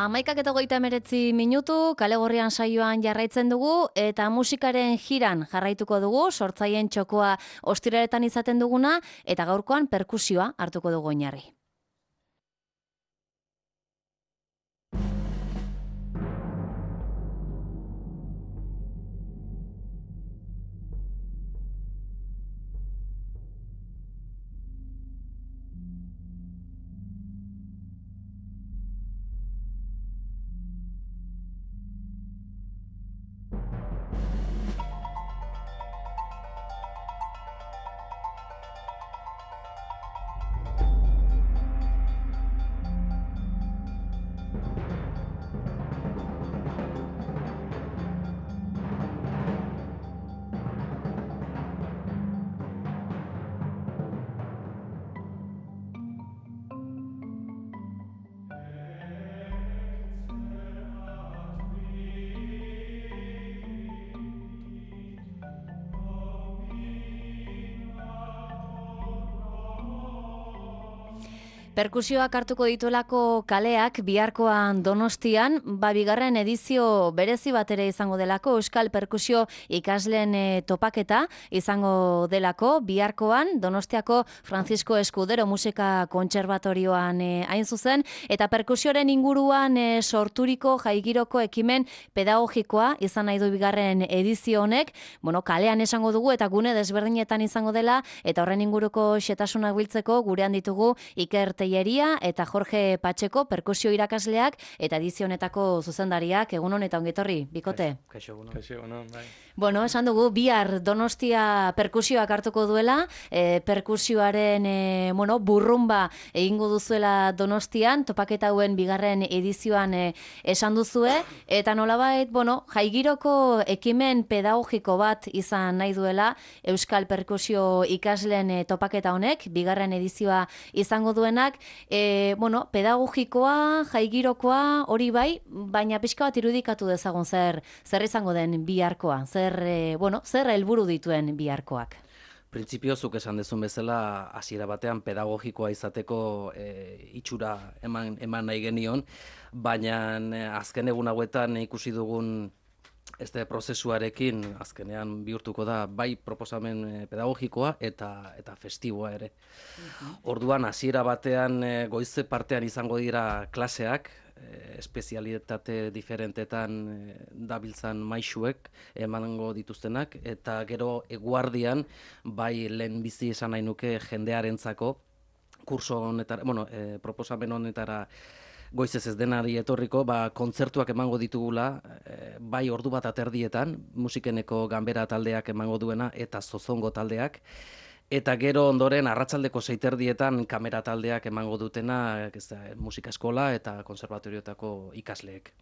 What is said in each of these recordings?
11:39 kale gorrian saioan jarraitzen dugu eta musikaren jiran jarraituko dugu, sortzaileen txokoa ostiraletan izaten duguna eta gaurkoan perkusioa hartuko dugu oinarri. Perkusioak hartuko dituelako kaleak biharkoan Donostian, bigarren edizio berezi bat ere izango delako, Euskal Perkusio ikasleen topaketa izango delako, biharkoan Donostiako Francisco Escudero Musika Kontserbatorioan hain zuzen, eta perkusioaren inguruan sorturiko jaigiroko ekimen pedagogikoa izan nahi du bigarren edizio honek, kalean esango dugu eta gune desberdinetan izango dela, eta horren inguruko xetasunak biltzeko gurean ditugu Iker Telleria eta Jorge Patxeko perkusio irakasleak eta edizio honetako zuzendariak. Egunon eta ongitorri, bikote. Kaixo egunon, bai. Esan dugu, bihar Donostia perkusioak hartuko duela, perkusioaren burrumba egingo duzuela Donostian, topaketa hauen bigarren edizioan esan duzue, eta nolabait, jaigiroko ekimen pedagogiko bat izan nahi duela Euskal Perkusio ikasleen topaketa honek, bigarren edizioa izango duenak, pedagogikoa, jaigirokoa, hori bai, baina pixka bat irudikatu dezagun zer izango den biharkoa, zer helburu dituen biharkoak. Printzipio zuk esan dezun bezala, hasiera batean pedagogikoa izateko itxura eman nahi genion, baina azken egun hauetan ikusi dugun prozesuarekin azkenean bihurtuko da bai proposamen pedagogikoa eta festiboa ere. Orduan hasiera batean goize partean izango dira klaseak, espezialitate diferentetan dabiltzan maisuek emango dituztenak, eta gero eguardian bai lehenbizi esan nahi nuke jendearentzako kurso honetara, proposamen honetara goizez ez denari etorriko, kontzertuak emango ditugula, bai ordu bat aterdietan, musikeneko ganbera taldeak emango duena eta zozongo taldeak, eta gero ondoren arratsaldeko 6:00 kamera taldeak emango dutena musika eskola eta konserbatorioetako ikasleek.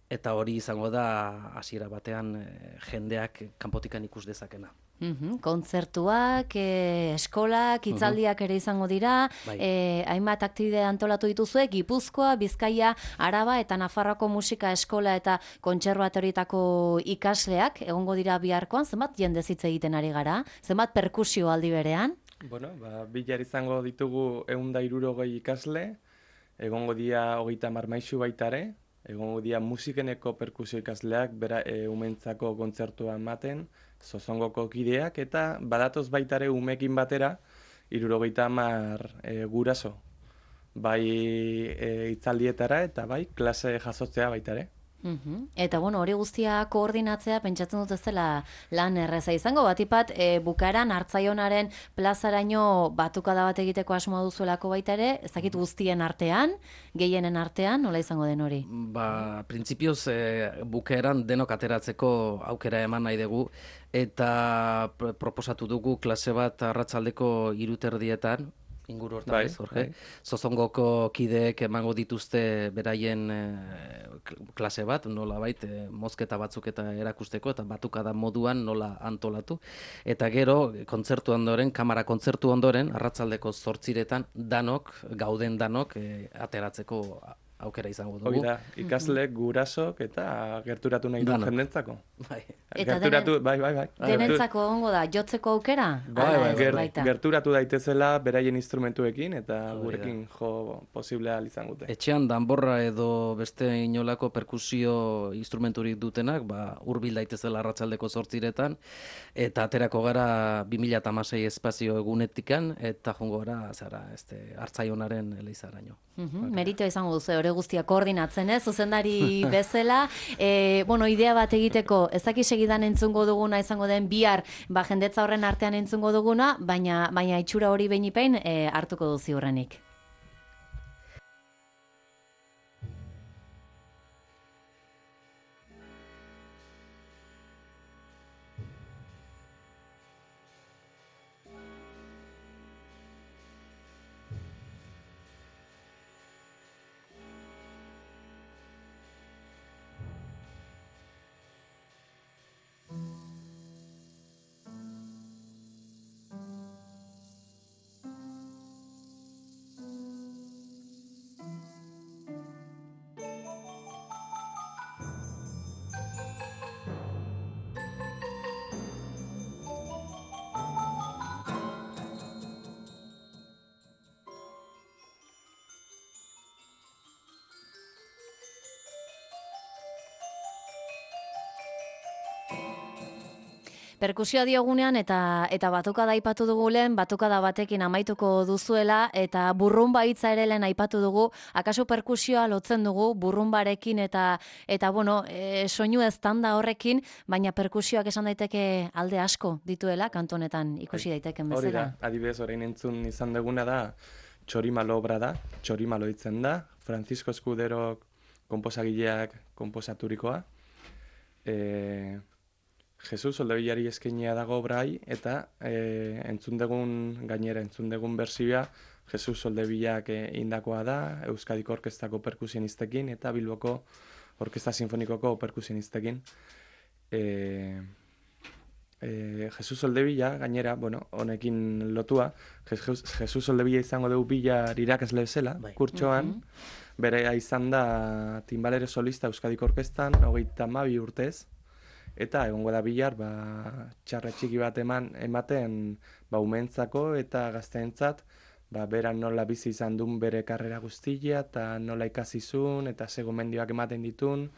Eta hori izango da hasiera batean jendeak kanpotikan ikus dezakena. Kontzertuak, eskolak, hitzaldiak ere izango dira, hainbat aktibitate antolatu dituzue, Gipuzkoa, Bizkaia, Araba eta Nafarroako musika eskola eta kontserbatorioetako ikasleak egongo dira biharkoan. Zenbat jende hitz egiten ari gara? Zenbat perkusio aldi berean? Bilar izango ditugu 160 ikasle, egongo dira 30 maisu baita ere, egongo dira musikeneko perkusio ikasleak, umentzako kontzertua ematen, zozongoko kideak, eta badatoz baita ere umekin batera 70 guraso. Bai hitzaldietara eta bai klase jasotzea baita ere. Eta hori guztia koordinatzea pentsatzen dut ez dela lan erreza izango, batipat bukaeran Hartzaionaren plazaraino batukada bat egiteko asmoa duzuelako baita ere, ez dakit guztien artean, gehienen artean, nola izango den hori? Printzipioz bukaeran denok ateratzeko aukera eman nahi dugu, eta proposatu dugu klase bat arratsaldeko 3:30 inguru hortan, Jorge? Zozongoko kideek emango dituzte beraien klase bat, nolabait mozketa batzuk eta erakusteko, eta batukada moduan nola antolatu. Eta gero, kontzertu ondoren, kamara kontzertu ondoren, arratsaldeko 8:00 gauden danok ateratzeko aukera izango dugu. Hoi da, ikasleek, gurasok eta gerturatu nahi du Danok. jendentzako. Bai. Eta Gerturatu, bai. denentzako ongo da, jotzeko aukera? Ala ez baita. Gerturatu daitezela beraien instrumentuekin eta Hori da. gurekin jo posiblea izango dute. Etxean danborra edo beste inolako perkusio instrumenturik dutenak, hurbil daitezela arratsaldeko 8 eta aterako gara 2016 espazio egunetikan, eta jongo gara, Hartzaionaren elizaraino. Merito izango duzu, hori guztia koordinatzen, zuzendari bezala. Idea bat egiteko, ez dakit segidan entzungo duguna izango den bihar, jendetza horren artean entzungo duguna, baina itxura hori behin hartuko duzi horrenik. Perkusioa diogunean eta batukada aipatu dugu lehen, batukada batekin amaituko duzuela, eta burrumba hitza ere lehen aipatu dugu. Akaso perkusioa lotzen dugu burrumbarekin eta soinu eztanda horrekin, baina perkusioak esan daiteke alde asko dituela kantonetan ikusi daiteken bezala. Hori da, adibidez orain entzun izan duguna da Txorimalo obra da, Txorimalo hitzen da, Francisco Escudero konposagileak konposaturikoa. Jesus Soldevillari eskainia dago obrai, eta entzun dugun bersioa Jesus Soldevillak indakoa da, Euskadiko Orkestako perkusionistekin eta Bilboko Orkesta Sinfonikoko perkusionistekin. Jesus Soldevilla, gainera, honekin lotua, Jesus Soldevilla izango dugu bihar irakasle bezala, kurtsoan, bere izan da timbalere solista Euskadiko Orkestan, 32 urtez, eta egongo da bihar, txarra txiki bat ematen umentzako eta gazteentzat, beran nola bizi izan duen bere karrera guztia, eta nola ikasizun, eta ze gomendioak ematen ditun,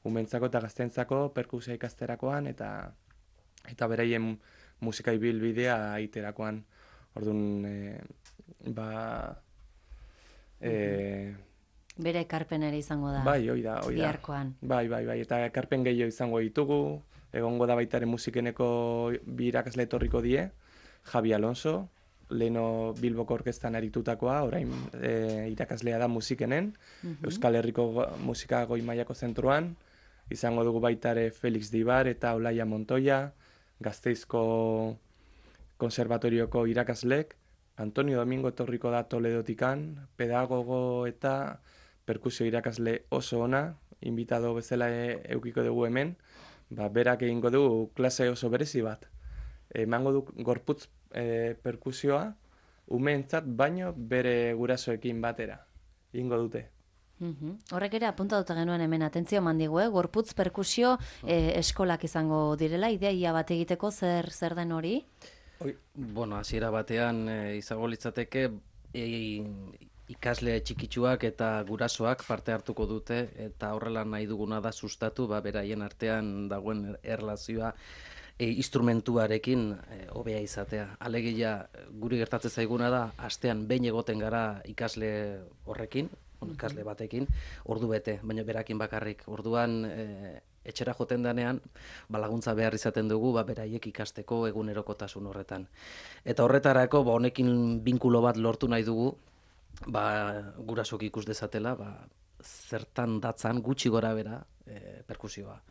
umentzako eta gazteentzako perkusia ikasterakoan, eta beraien musika ibilbidea iterakoan. Orduan, bere ekarpen ere izango da. Bai, hoi da. Biharkoan. Bai, eta ekarpen gehiago izango ditugu. Egongo da baitaren musikeneko bi irakasle etorriko die, Javi Alonso, leheno Bilboko Orkestan aritutakoa, orain irakaslea da musikenen, Euskal Herriko musika goi mailako zentruan, izango dugu baitare Felix Dibar eta Olaia Montoya, Gasteizko konservatorioko irakaslek, Antonio Domingo etorriko da Toledotikan, pedagogo eta perkusio irakasle oso ona, invitado bezala eukiko dugu hemen, berak egingo du klase oso berezi bat. Emango du gorputz perkusioa, umeentzat baino bere gurasoekin batera. Egingo dute. Horrek ere apuntatuta genuen hemen atentzio mandigu, gorputz perkusio eskolak izango direla, ideia bat egiteko zer den hori? Hasiera batean izango litzateke ikasle txikitsuak eta gurasoak parte hartuko dute, eta horrela nahi duguna da sustatu, beraien artean dagoen erlazioa instrumentuarekin hobea izatea. Alegia guri gertatzen zaiguna da, astean behin egoten gara ikasle horrekin, ikasle batekin, ordu bete, baina berakin bakarrik. Orduan etxera joten denean, laguntza behar izaten dugu, beraiek ikasteko egunerokotasun horretan. Eta horretarako, honekin binkulo bat lortu nahi dugu, gurasok ikus dezatela, zertan datzan gutxi gora bera perkusioa.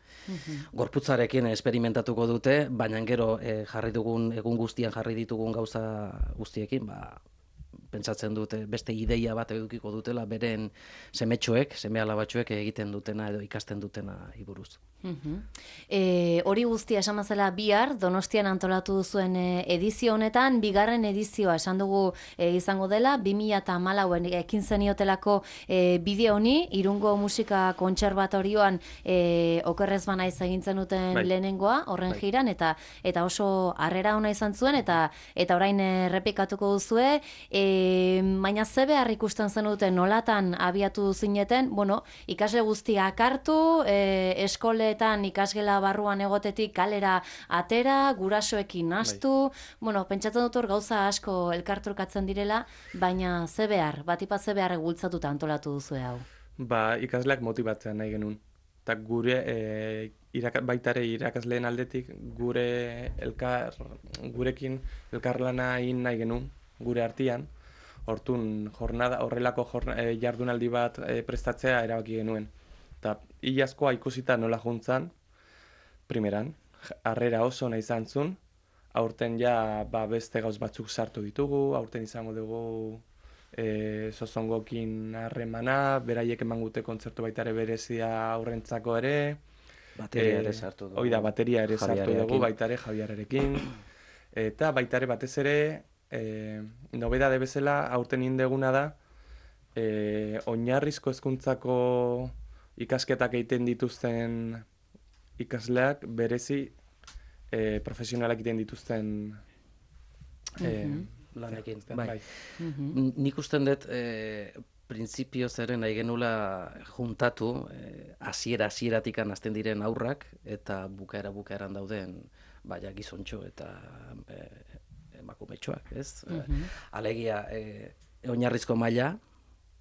Gorputzarekin esperimentatuko dute, baina gero jarri dugun, egun guztian jarri ditugun gauza guztiekin, pentsatzen dute beste ideia bat edukiko dutela, beren semetxoek, seme alabatxoek egiten dutena edo ikasten dutena iburuz. Hori guztia esan bezala bihar, Donostian antolatu duzuen edizio honetan, bigarren edizioa esan dugu izango dela, 2014an ekin zeniotelako bideo honi, Irungo Musika Kontserbatorioan okerrez banaiz egintzen duten lehenengoa, horren jiran, eta oso harrera ona izan zuen, eta orain errepikatuko duzue, baina ze behar ikusten zenuten nolatan abiatu zineten, bueno, ikasle guztiak hartu, eskoletan ikasgela barruan egotetik kalera atera, gurasoekin nastu, bueno, pentsatzen dut hor gauza asko elkartrukatzen direla, baina ze behar, batipat ze behar bultzatuta antolatu duzue hau? Ikasleak motibatzea nahi genuen. Eta gure, baitare irakasleen aldetik, gurekin elkarlana egin nahi genuen, gure artean, hortun horrelako jardunaldi bat prestatzea erabaki genuen. Eta hilazkoa ikusita nola juntzan, primeran, harrera oso nahi izan zuen, aurten ja beste gauz batzuk sartu ditugu, aurten izango dugu Sozongokin harremana, beraiek emangute kontzertu baitare berezia aurrentzako ere. Bateria ere sartu dugu. Oida, bateria ere sartu dugu, baitare Javierarekin. Eta baitare batez ere, nobedade bezala, aurten indeguna da, oinarrizko hezkuntzako ikasketak egiten dituzten ikasleak berezi profesionalak egiten dituzten lanekin. Bai. Nik usten dut printzipioz ere nahi genula juntatu hasieratik hasten diren aurrak eta bukaeran dauden gizontxo eta emakumetxoak, ez? Alegia oinarrizko maila,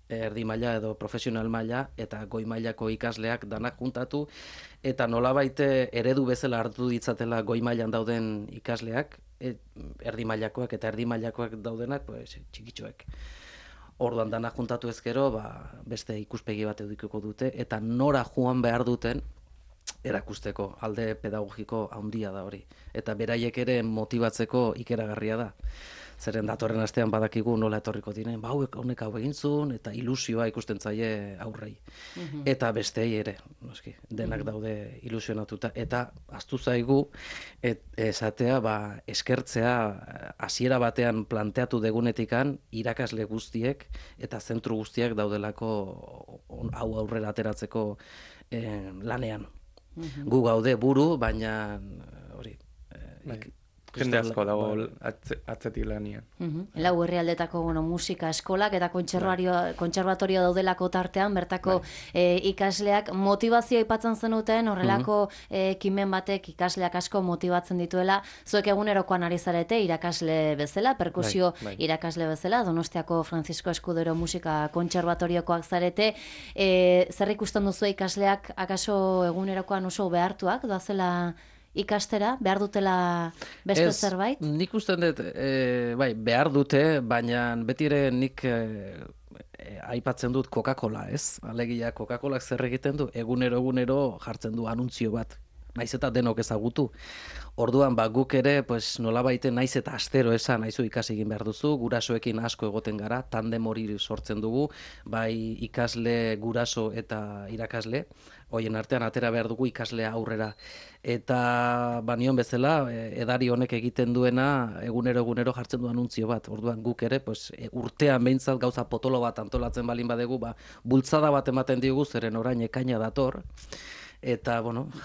erdi maila edo profesional maila eta goi mailako ikasleak danak juntatu eta nolabait eredu bezala hartu ditzatela goi mailan dauden ikasleak, erdi mailakoak eta erdi mailakoak daudenak txikitxoek. Orduan danak juntatu ezkero, beste ikuspegi bat edukiko dute eta nora joan behar duten erakusteko alde pedagogiko handia da hori. Eta beraiek ere motibatzeko ikeragarria da. Zeren datorren astean badakigu nola etorriko diren, honek hau egin zuen, eta ilusioa ikusten zaie aurrei. Eta bestei ere, noski, denak daude ilusionatuta. Eta ahaztu zaigu, esatea, eskertzea hasiera batean planteatu degunetikan irakasle guztiek eta zentru guztiak daudelako hau aurrera ateratzeko lanean. Gu gaude buru, baina hori... Jende asko dago atzetik lanian. Lau herrialdetako musika eskolak eta kontserbatorio daudelako tartean, bertako ikasleak motivazioa aipatzen zenuten, horrelako ekimen batek ikasleak asko motibatzen dituela, zuek egunerokoan ari zarete irakasle bezala, perkusio irakasle bezala, Donostiako Francisco Escudero Musika Kontserbatoriokoak zarete, zer ikusten duzu ikasleak akaso egunerokoan oso behartuak, doazela ikastera, behar dutela beste zerbait? Nik usten dut, behar dute, baina beti ere nik aipatzen dut Coca-Cola, ez? Alegia, Coca-Colak zer egiten du, egunero jartzen du anuntzio bat, naiz eta denok ezagutu. Orduan, guk ere, nolabaite naiz eta astero esan, naizu ikasi egin behar duzu, gurasoekin asko egoten gara, tandem hori sortzen dugu, bai ikasle, guraso eta irakasle, hoien artean atera behar dugu ikaslea aurrera. Eta nion bezala, edari honek egiten duena, egunero jartzen du anuntzio bat. Orduan guk ere, urtean behintzat gauza potolo bat antolatzen balin badegu, bultzada bat ematen diogu, zeren orain ekaina dator. Eta,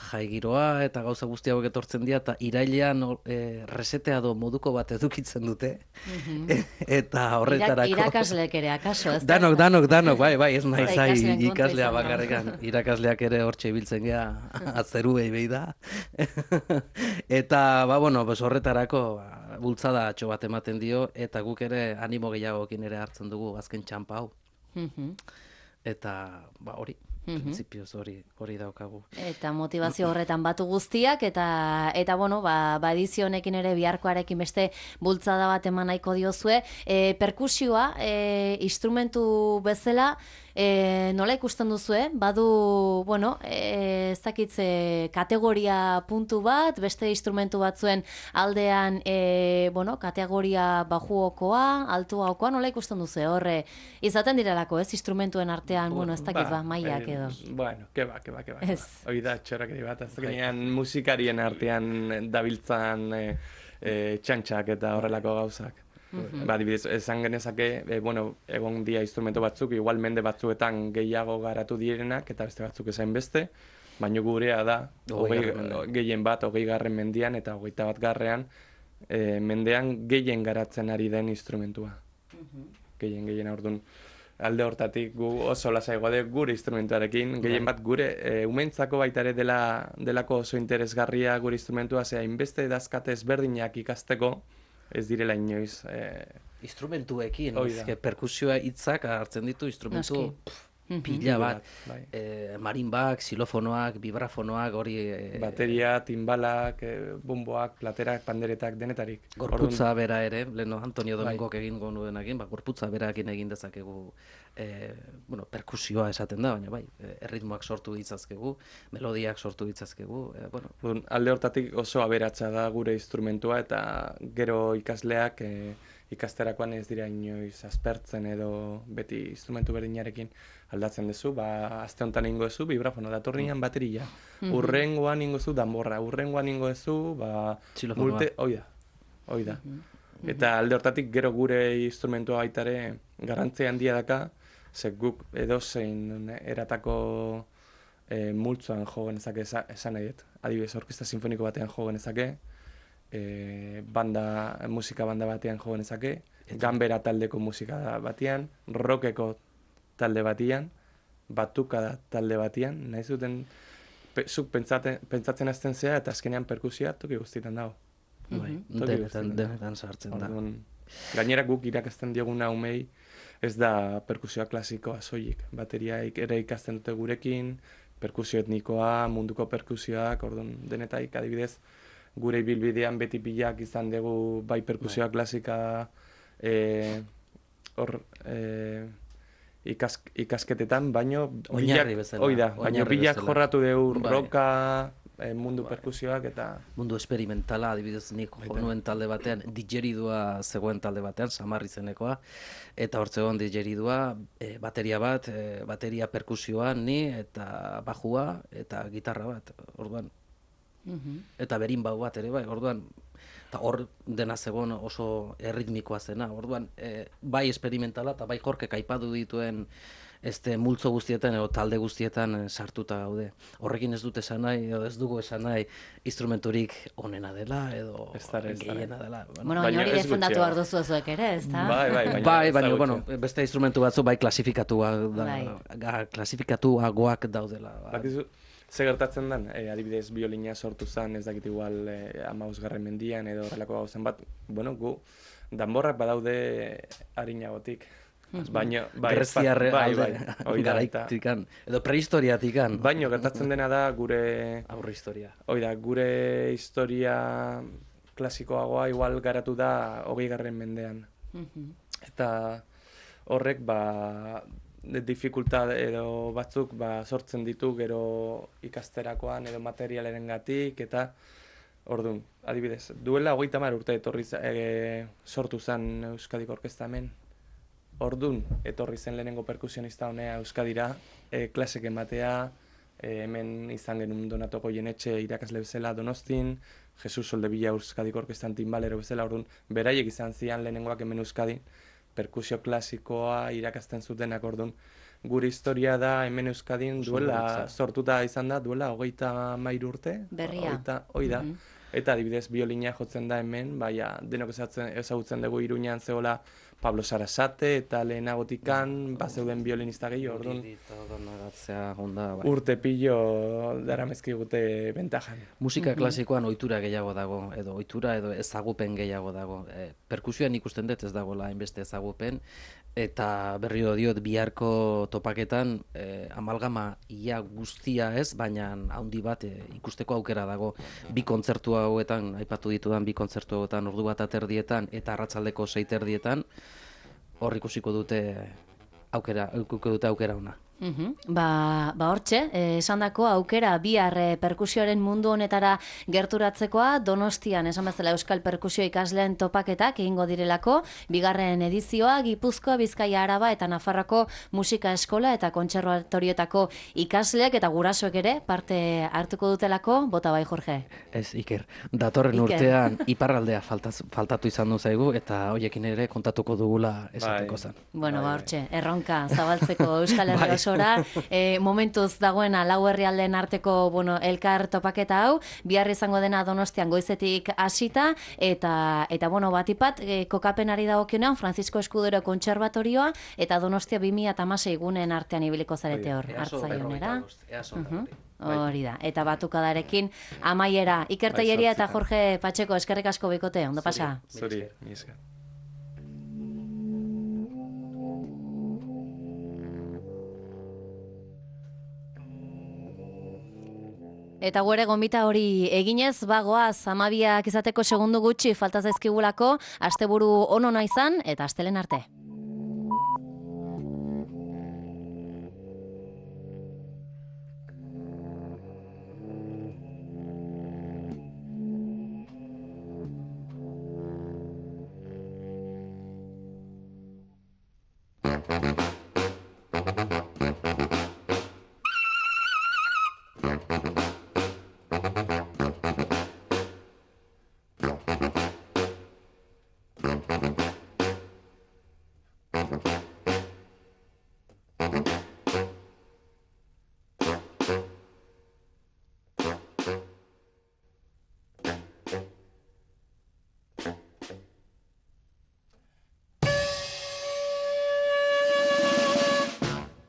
jai giroa eta gauza guzti hauek etortzen dira, eta irailean resetea do moduko bat edukitzen dute. Eta horretarako... Irakasleek ere, akaso, ez? Danok, bai, ez nahi ikaslea bakarrekan. Irakasleak ere hortxe ibiltzen gea, atzeruei behi da. Eta, horretarako bultzada atxo bat ematen dio, eta guk ere animo gehiagokin ere hartzen dugu azken txampa hau. Eta, hori. Printzipioz hori daukagu. Eta motivazio horretan batu guztiak, eta edizio honekin ere biharkoarekin beste bultzada bat eman nahiko diozue. Perkusioa, instrumentu bezala, Nola ikusten duzue? Badu, bueno, ez dakitze kategoria puntu bat, beste instrumentu batzuen aldean, bueno, kategoria bajuokoa, altuagokoa, nola ikusten duzue? Horre, izaten direlako, ez, instrumentuen artean, bueno, ez dakit mailak edo. Bueno, keba. Ez. Hoi da, txorakeri bat, azkenean musikarien artean dabiltzan txantxak eta horrelako gauzak. Adibidez, esan genezake, bueno, egon dia instrumento batzuk, igual mende batzuetan gehiago garatu direnak, eta beste batzuk esain beste, baina gurea da, gehien bat, 20. mendian eta 21. Mendean gehien garatzen ari den instrumentua. Gehien orduan. Alde hortatik gu oso lasai gaude gure instrumentuarekin, gehien bat gure umentzako baita ere delako oso interesgarria gure instrumentua, zera inbeste dazkate ezberdinak ikasteko, ez direla inoiz. Instrumentuekin, perkusioa hitzak hartzen ditu instrumentu pila bat. Marinbak, xilofonoak, vibrafonoak, hori... Bateria, timbalak, bomboak, platerak, panderetak, denetarik. Gorputza bera ere, leheno Antonio Domingok egin gonuenakin, gorputza berakin egin dezakegu perkusioa esaten da, baina bai, erritmoak sortu ditzazkegu, melodiak sortu ditzazkegu, alde hortatik oso aberatsa da gure instrumentua, eta gero ikasleak ikasterakoan ez dira inoiz aspertzen edo beti instrumentu berdinarekin aldatzen duzu, aste honetan ingo duzu, vibrafono, datorrian bateria, urrengoan ingo duzu danborra, urrengoan ingo duzu, multe, hoi da. Eta alde hortatik gero gure instrumentua baitare garrantzia handia daka, ze guk edozein eratako multzoan jo genezake esan nahi dut. Adibidez, orkestra sinfoniko batean jo genezake, musika banda batean jo genezake, ganbera taldeko musika batean, rockeko talde batean, batukada talde batean, nahi zuten zuk pentsatzen hasten zea eta azkenean perkusioa toki guztietan dago. Denetan sartzen da. Gainera guk irakasten dioguna umei ez da perkusioa klasikoa soilik. Bateriaik ere ikasten dute gurekin, perkusio etnikoa, munduko perkusioak, orduan denetaik adibidez gure ibilbidean beti pilak izan dugu bai perkusioa klasika ikasketetan, baino bilak jorratu dugu roka, mundu perkusioak eta... Mundu esperimentala, adibidez nik jonuen talde batean, digeridua zegoen talde batean, Samar izenekoa, eta hortzegoen digeridua, bateria bat, bateria perkusioa, ni, eta bajua, eta gitarra bat, orduan. Eta berinbau bat ere bai, orduan, eta hor dena zegoen oso erritmikoa zena, orduan, bai esperimentala eta bai Jorkek aipatu dituen multzo guztietan edo talde guztietan sartuta gaude. Horrekin ez dut esan nahi, edo ez dugu esan nahi instrumenturik onena dela, edo gehiena dela. Bueno, baina hori defendatu behar duzu zuek ere, ez da? Bai, baina, beste instrumentu batzu bai klasifikatuagoak daudela. Ze gertatzen den, adibidez biolina sortu zen, ez dakit igual 15. mendian edo horrelako gauzen bat, bueno, gu danborrak badaude harinagotik. Garaitik, edo prehistoriatik. Baina gertatzen dena da gure... Aurre historia. Gure historia klasikoagoa igual garatu da 20. mendean. Eta horrek, dificultad edo batzuk sortzen ditu gero ikasterakoan edo materialerengatik eta orduan, adibidez, duela 30 urte etorri sortu zen Euskadiko orkestra hemen. Orduan, etorri zen lehenengo perkusionista honea Euskadira, klasek ematea, hemen izan genuen Donato Goyenetxe irakasle bezala Donostin, Jesus Soldevilla Euskadiko orkestan timbalero bezala, orduan, beraiek izan zian lehenengoak hemen Euskadin, perkusio klasikoa irakasten zutenak, orduan. Gure historia da hemen Euskadin duela, sortuta izan da, duela 33 urte. Berria. Hoi da. Eta adibidez biolina jotzen da hemen, denok ezagutzen dugu Iruñan zegoela Pablo Sarasate eta lehenagotikan bazeuden violinista gehiago, orduan. Urte pilo daramezkigute bentajan. Musika klasikoan ohitura gehiago dago, edo ohitura edo ezagupen gehiago dago. Perkusioan ikusten dut ez dagoela hainbeste ezagupen, eta berriro diot biharko topaketan amalgama ia guztia ez, baina handi bat ikusteko aukera dago. Bi kontzertu hauetan, aipatu ditudan bi kontzertu hauetan, ordu bat aterdietan eta arratsaldeko 6 erdietan, hor ikusiko dute edukiko dute aukera ona. Ba hortxe, esandako aukera bihar perkusioaren mundu honetara gerturatzekoa, Donostian esan bezala Euskal Perkusio ikasleen topaketak egingo direlako, bigarren edizioa Gipuzkoa, Bizkaia, Araba eta Nafarroako musika eskola eta kontserbatorioetako ikasleak eta gurasoek ere parte hartuko dutelako, bota bai Jorge. Ez, Iker, datorren urtean iparraldea faltatu izan du zaigu eta hoiekin ere kontatuko dugula esateko zen. Bueno, ba hortxe, erronka zabaltzeko Euskal Herri osora, momentuz dagoena lau herrialdeen arteko elkar topaketa hau, bihar izango dena Donostian goizetik hasita eta batipat kokapenari dagokionean Francisco Escudero kontserbatorioa eta Donostia 2016 gunen artean ibiliko zarete hor hartzaionera. Hori da, eta batukadarekin amaiera. Iker Tellería eta Jorge Pacheco, eskerrik asko bikote, ondo pasa? Zuri, mi esker. Eta guere gonbita hori eginez, bagoaz, 12 izateko segundu gutxi falta zaizkigulako, asteburu onona izan eta astelen arte. Thank you.